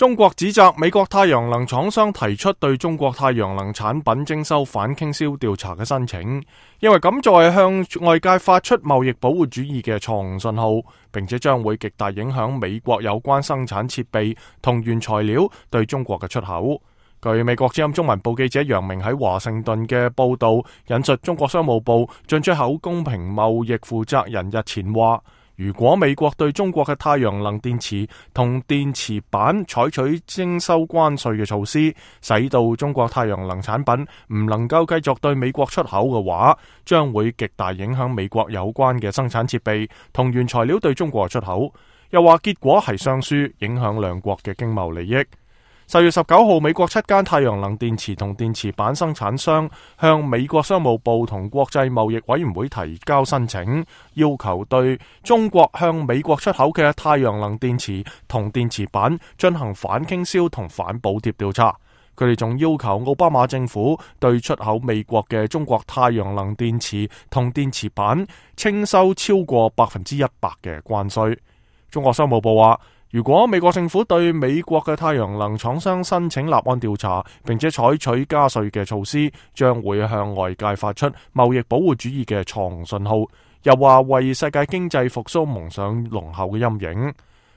中國指責美國太陽能廠商提出對中國太陽能產品徵收反傾銷調查嘅申請，認為咁做係向外界發出貿易保護主義嘅錯誤信號，並且將會極大影響美國有關生產設備同原材料對中國嘅出口。據美國之音中文部記者楊明喺華盛頓嘅報道，引述中國商務部進出口公平貿易負責人日前話，如果美國對中國嘅太陽能電池同電池板採取徵收關稅嘅措施，使到中國太陽能產品唔能夠繼續對美國出口嘅話，將會極大影響美國有關嘅生產設備同原材料對中國出口。又話結果係雙輸，影響兩國嘅經貿利益。10月19號，美國7間太陽能電池同電池板生產商向美國商務部同國際貿易委員會提交申請，要求對中國向美國出口嘅太陽能電池同電池板進行反傾銷同反補貼調查。佢哋仲要求奧巴馬政府對出口美國嘅中國太陽能電池同電池板徵收超過100%嘅關稅。中國商務部話，如果美國政府對美國嘅太陽能廠商申請立案調查，並且採取加稅嘅措施，將會向外界發出貿易保護主義嘅錯誤信號，又話為世界經濟復甦蒙上濃厚嘅陰影。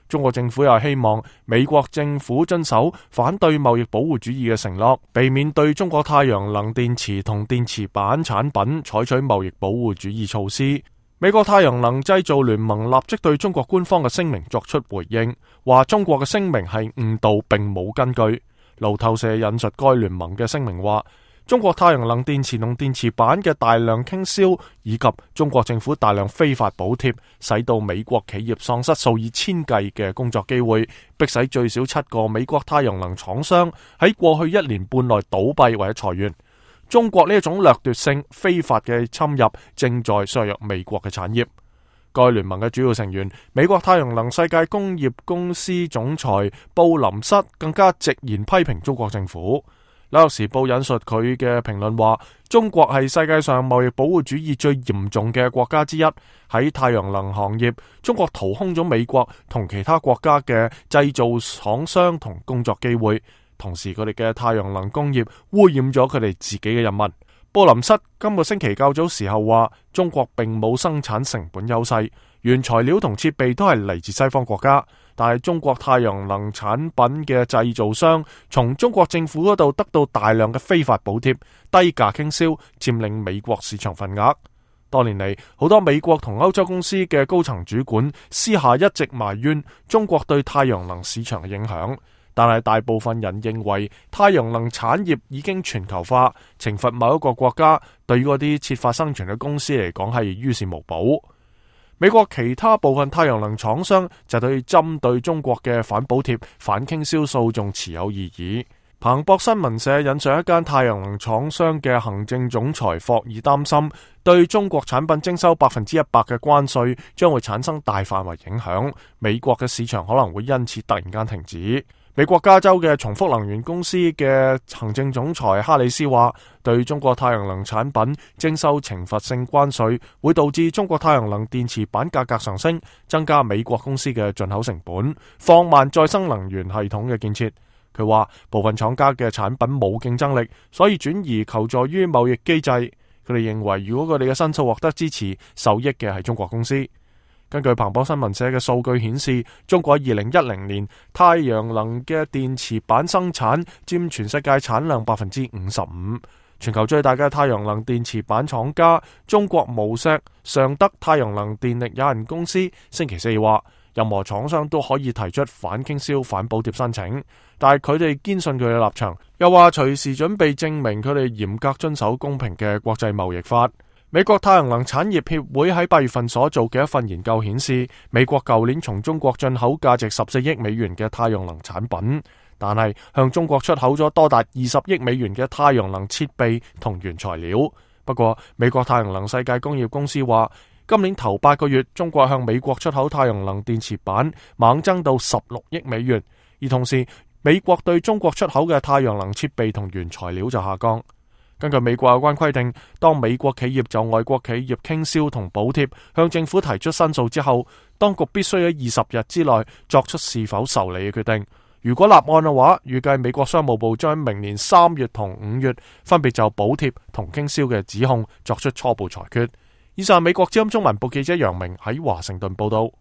中國政府又希望美國政府遵守反對貿易保護主義嘅承諾，避免對中國太陽能電池同電池板產品採取貿易保護主義措施。美國太陽能製造聯盟立即對中國官方嘅聲明作出回應，話中國嘅聲明係誤導並冇根據。路透社引述該聯盟嘅聲明話，中國太陽能電池同電池板嘅大量傾銷以及中國政府大量非法補貼，使到美國企業喪失數以千計嘅工作機會，迫使最少7個美國太陽能廠商喺過去1年半內倒閉或者裁員。中國呢一種掠奪性非法嘅侵入正在削弱美國嘅產業。該聯盟嘅主要成員美國太陽能世界工業公司總裁布林瑟更加直言批評中國政府。紐約時報引述佢嘅評論話，中國係世界上貿易保護主義最嚴重嘅國家之一。喺太陽能行業，中國掏空咗美國同其他國家嘅製造廠商同工作機會，同時佢哋嘅太陽能工業污染咗佢哋自己嘅人民。布林瑟今個星期較早時候話，中國並冇生產成本優勢，原材料同設備都係嚟自西方國家，但係中國太陽能產品嘅製造商從中國政府嗰度得到大量嘅非法補貼，低價傾銷，佔領美國市場份額。多年嚟，好多美國同歐洲公司嘅高層主管私下一直埋怨中國對太陽能市場嘅影響。但係大部分人認為太陽能產業已經全球化，懲罰某一個國家對於嗰啲設法生存嘅公司嚟講係於事無補。美國其他部分太陽能廠商就對針對中國嘅反補貼、反傾銷訴訟持有異議。彭博新聞社引述一間太陽能廠商嘅行政總裁霍爾擔心，對中國產品徵收100%嘅關稅將會產生大範圍影響，美國嘅市場可能會因此突然間停止。美國加州嘅重複能源公司嘅行政總裁哈里斯話，對中國太陽能產品徵收懲罰性關稅會導致中國太陽能電池板價格上升，增加美國公司嘅進口成本，放慢再生能源系統嘅建設。佢話部分廠家嘅產品冇競爭力，所以轉移求助於貿易機制。佢哋認為如果佢哋嘅申訴獲得支持，受益嘅係中國公司。根據彭博新聞社嘅數據顯示，中國2010年太陽能嘅電池板生產佔全世界產量55%。全球最大嘅太陽能電池板廠家中國無錫尚德太陽能電力有限公司星期四話，任何廠商都可以提出反傾銷、反補貼申請，但係佢哋堅信佢嘅立場，又話隨時準備證明佢哋嚴格遵守公平嘅國際貿易法。美國太陽能產業協會喺8月份所做嘅一份研究顯示，美國舊年從中國進口價值14億美元嘅太陽能產品，但係向中國出口咗多達20億美元嘅太陽能設備同原材料。不過，美國太陽能世界工業公司話，今年頭8個月，中國向美國出口太陽能電池板猛增到16億美元，而同時，美國對中國出口嘅太陽能設備同原材料就下降。根據美國有關規定，當美國企業就外國企業傾銷同補貼向政府提出申訴之後，當局必須喺20日之內作出是否受理嘅決定。如果立案嘅話，預計美國商務部將明年3月同5月分別就補貼同傾銷嘅指控作出初步裁決。以上美國之音中文部記者楊明喺華盛頓報道。